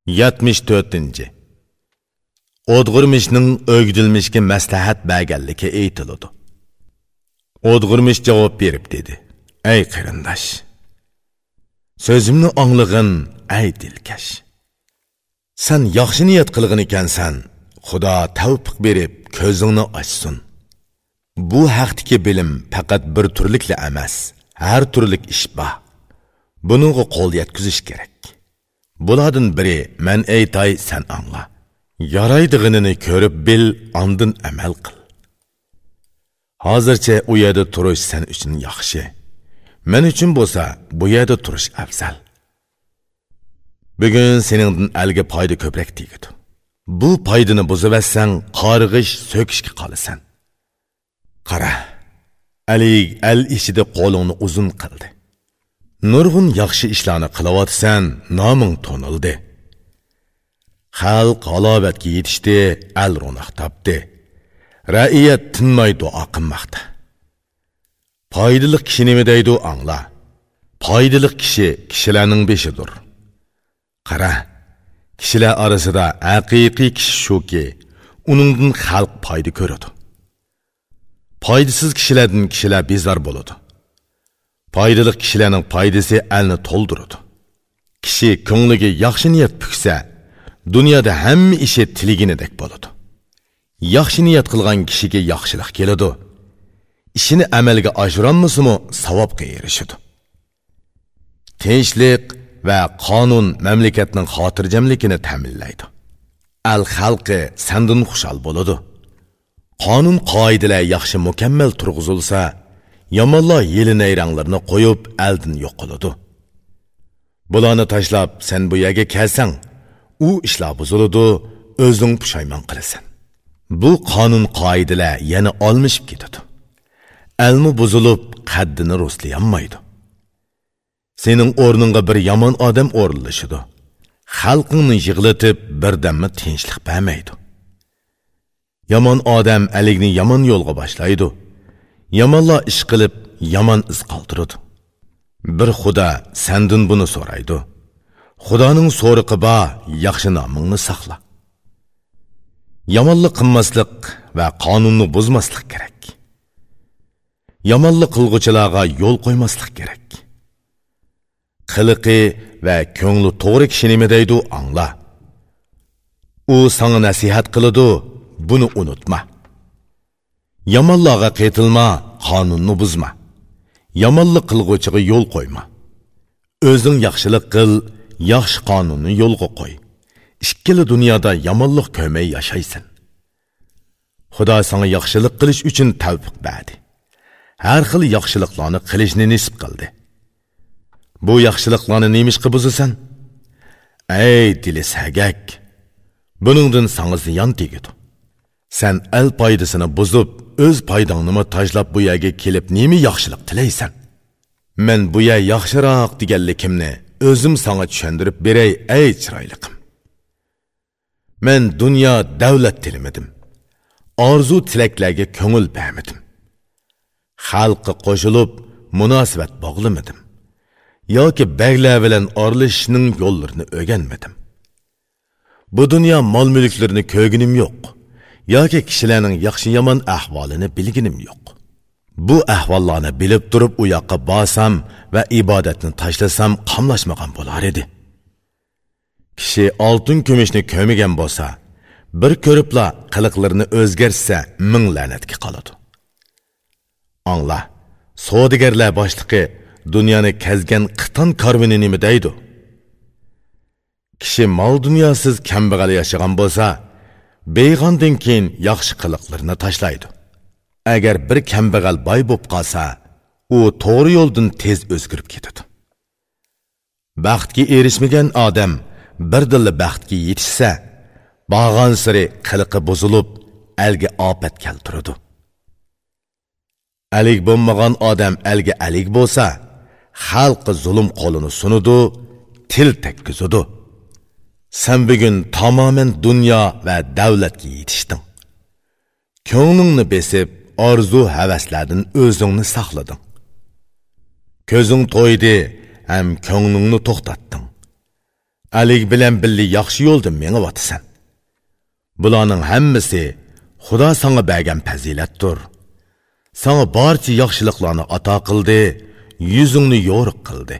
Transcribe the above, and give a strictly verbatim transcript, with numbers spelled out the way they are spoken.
yetmish to'rtinchi O'dg'irmishning o'gdilmishga maslahat berganligi aytiladi. O'dg'irmish javob berib dedi: "Ey qarindosh, so'zimni anglig'in, ey dilkash. Sen yaxshi niyat qilgan ekansan, Xudo tavfiq berib ko'zingni ochsin. Bu haqdagi bilim faqat bir turlikla emas, har turlik ish bor. Buningga qo'l yetkazish kerak. Bulardan biri men aytay, sen angla. Yaraydig'inini ko'rib bil, andin amal qil. Hozircha u yerda turish sen uchun yaxshi. Men uchun bo'lsa, bu yerda turish afzal. Bugun seningdan elga foyda ko'proq tegadi. Bu foydani buzivatsang, qarg'ish so'kishga qolasan. Qara, alik el ichida qo'lingni uzun qildi. Nurg'un yaxshi ishlarni qilayotsan, noming to'nildi. Xalq halovatga yetishdi, el ro'naq topdi. Ra'iyat tinmay duo qilmoqda. Foydali kishi nima deydi angla. Foydali kishi kishilarning beshidir. Qara, kishilar orasida haqiqiy kishi shuki, uningdan xalq foyda ko'radi. Foydasiz kishilardan kishilar bezor bo'ladi. Foydali kishilarning foydasi elni to'ldiradi. Kishi ko'ngliga yaxshi niyat puksa, dunyoda hamma ishi tilaganidek bo'ladi. Yaxshi niyat qilgan kishiga yaxshilik keladi. Ishini amalga oshirolmasimi, savobga erishadi. Tinchlik va qonun mamlakatning xotirjamligini ta'minlaydi. Al xalqi sandan xushal bo'ladi. Qonun qoidalar yaxshi mukammal turg'izilsa, yomonlar yili nayranglarni qo'yib eldan yo'qoladi. Bularni tashlab sen bu yerga kelsang, u ishlar buziladi, o'zing pushaymon qilasan. Bu qonun qoidalar yana olmishib ketadi. Elmi buzilib, qaddini rostlayolmaydi. Sening o'rningga bir yomon odam o'rinlashadi. Xalqingni yig'latib, birdamma tinchlik bermaydi. Yomon odam alikni yomon yo'lga boshlaydi. Yomonlar ish qilib, yomon iz qoldiradi. Bir Xudo sendan buni so'raydi. Xudoning so'riqi bor, yaxshi nomingni saqla. Yomonlik qilmaslik va qonunni buzmaslik kerak. Yomonlik qilg'uvchilarga yo'l qo'ymaslik kerak. Qiliqi va ko'ngli to'g'ri kishi nima deydi angla. U sana nasihat qiladi, buni unutma. Yomonlarga qaytilma, qonunni buzma. Yomonlik qilg'uvchiga yo'l qo'yma. O'zing yaxshilik qil, yaxshi qonunni yo'lga qo'y. Ikkala dunyoda yomonlik ko'rmay yashaysan. Xudo sana yaxshilik qilish uchun tavfiq berdi. Har xil yaxshiliklarni qilishni nisib qildi. Bu yaxshiliklarni nemishqa buzasan? Ey dili sagak, buningdan sana ziyon tegadi. Sen el foydasini buzib, o'z foydangni tashlab bu yerga kelib nima yaxshilik tilaysan? Men bu yer yaxshiroq deganligimni o'zim sana tushuntirib beray, ey chiroyliqim. Men dunyo davlat tilamadim. Orzu tilaklarga ko'ngil bermadim. Xalqqa qo'shilib munosabat bog'lamadim. Yoki baglar bilan oralashishning yo'llarini o'rganmadim. Bu dunyo mol-mulklarini ko'rganim yo'q, yoki kishilarning yaxshi yomon ahvolini bilganim yo'q. Bu ahvollarni bilib turib u yoqqa borsam va ibodatni tashlasam qamlashmagan bo'lar edi. Kishi oltin kumushni ko'rmagan bo'lsa, bir ko'ribla qiliqlarini o'zgarsa ming la'natga qoladi. Angla, savdogarlar boshlig'i dunyoni kezgan qiton karvini nima deydi? Kishi mol dunyosiz kambag'al yashagan bo'lsa, beyg'ondan keyin yaxshi qiliqlarini tashlaydi. Agar bir kambag'al boy bo'lib qolsa, u to'g'ri yo'ldan tez o'zgarib ketadi. Baxtga erishmagan odam birdilla baxtga yetishsa, borgan sari qiliqi buzilib, elga ofat keltiradi. Alik bo'lmagan odam elga alik bo'lsa, xalqqa zulm qo'lini sunadi, til tekkizadi. Sen bugun tamoman dunyo va davlatga yetishding. Ko'nglingni besib, orzu havaslardan o'zingni saqlading. Ko'zing to'ydi, ham ko'nglingni to'xtatding. Alik bilan birga yaxshi yo'lda mengyapsan. Bularning hammasi Xudo sanga bergan fazilatdir. Sanga barcha yaxshiliklarni ato qildi, yuzingni yo'riq qildi.